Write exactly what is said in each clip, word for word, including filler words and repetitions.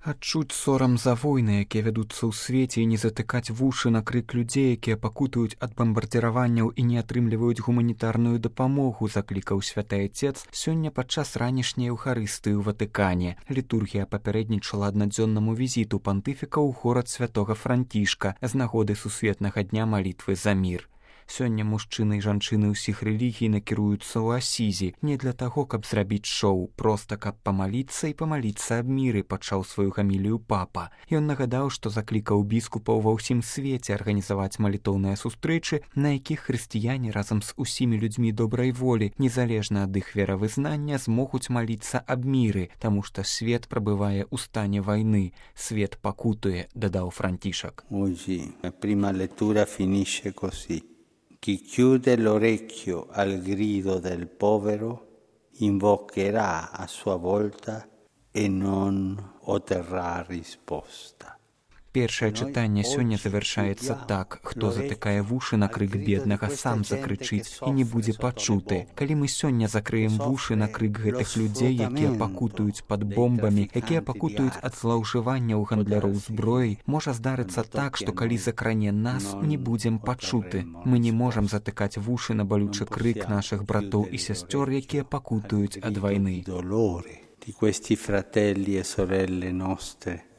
Адчуць сорам за войны, якія вядуцца ў свеце, і не затыкаць вушы на крык людзей, якія пакутуюць ад бамбардзіраванняў і не атрымліваюць гуманітарную дапамогу, заклікаў святы Айцец сёння падчас ранішняй эўхарыстыі ў Ватыкане. Літургія папярэднічала аднадзённаму візіту пантыфіка ў горад святога Францішка з нагоды сусветнага дня малітвы за мір. Сёння мужчыны і жанчыны ўсіх рэлігій накіруюцца ў Асізі не для таго, каб зрабіць шоу, проста каб памаліцца і памаліцца аб міры, пачаў сваю гамілію папа. Ён нагадаў, што заклікаў біскупаў ва ўсім свеце арганізаваць малітоўныя сустрэчы, на якіх хрысціяне разам з усімі людзьмі добрай волі, незалежна ад іх веравызнання, змогуць маліцца аб міры, таму што свет прабывае ў стане вайны, свет пакутуе, дадаў Францішак. Oggi la prima lettura finisce così. Chi chiude l'orecchio al grido del povero invocherà a sua volta e non otterrà risposta. Першае чытанне сёння завяршаецца так: хто затыкае вушы на крык беднага, сам закрычыць і не будзе пачуты. Калі мы сёння закрыем вушы на крык гэтых людзей, якія пакутуюць пад бомбамі, якія пакутуюць ад злоўжыванняў гандляроў зброяй, можа здарыцца так, што калі закране нас, не будзем пачуты. Мы не можам затыкаць вушы на балючы крык нашых братоў і сясцёр, якія пакутуюць ад вайны. Di questi fratelli e sorelle nostre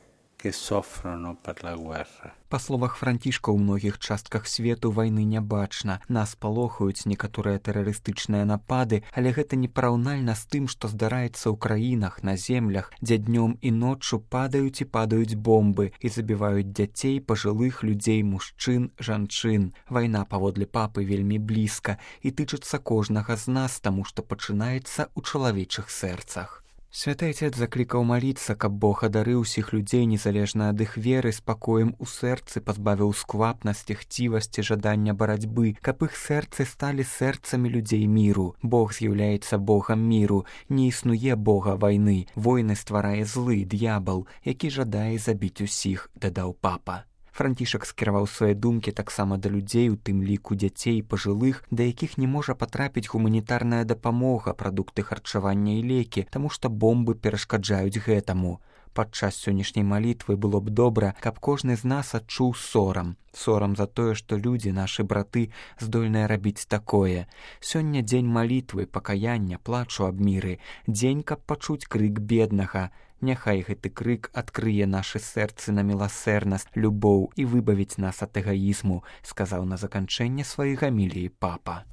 que soffrono per la guerra. Па словах Францішка, у многіх частках свету вайны не бачна. Нас палохаюць некаторыя тэрарыстычныя напады, але гэта непараўнальна з тым, што здараецца ў краінах, на землях, дзе днём і ноччу падаюць і падаюць бомбы і забіваюць дзяцей, пажылых людзей, мужчын, жанчын. Вайна, паводле папы, вельмі блізка і тычыцца кожнага з нас, таму што пачынаецца ў чалавечых сэрцах. Святы Айцец заклікаў маліцца, каб Бог адарыў усіх людзей, незалежна ад іх веры, спакоем у сэрцы, пазбавіў сквапнасці, хцівасці, жадання барацьбы, каб іх сэрцы сталі сэрцамі людзей міру. Бог з'яўляецца Богам міру, не існуе Бога вайны. Войны стварае злы, д'ябал, які жадае забіць усіх, дадаў папа. Францішак скіраваў свае думкі таксама да людзей, у тым ліку дзяцей і пажылых, да якіх не можа патрапіць гуманітарная дапамога, прадукты харчавання і лекі, таму што бомбы перашкаджаюць гэтаму. Падчас сённяшняй малітвы было б добра, каб кожны з нас адчуў сорам. Сорам за тое, што людзі, нашы браты, здольныя рабіць такое. Сёння дзень малітвы, пакаяння, плачу аб міры, дзень, каб пачуць крык беднага. Няхай гэты крык адкрые нашы сэрцы на міласэрнасць, любоў і выбавіць нас ад эгаізму, сказаў на заканчэнне сваёй гаміліі папа.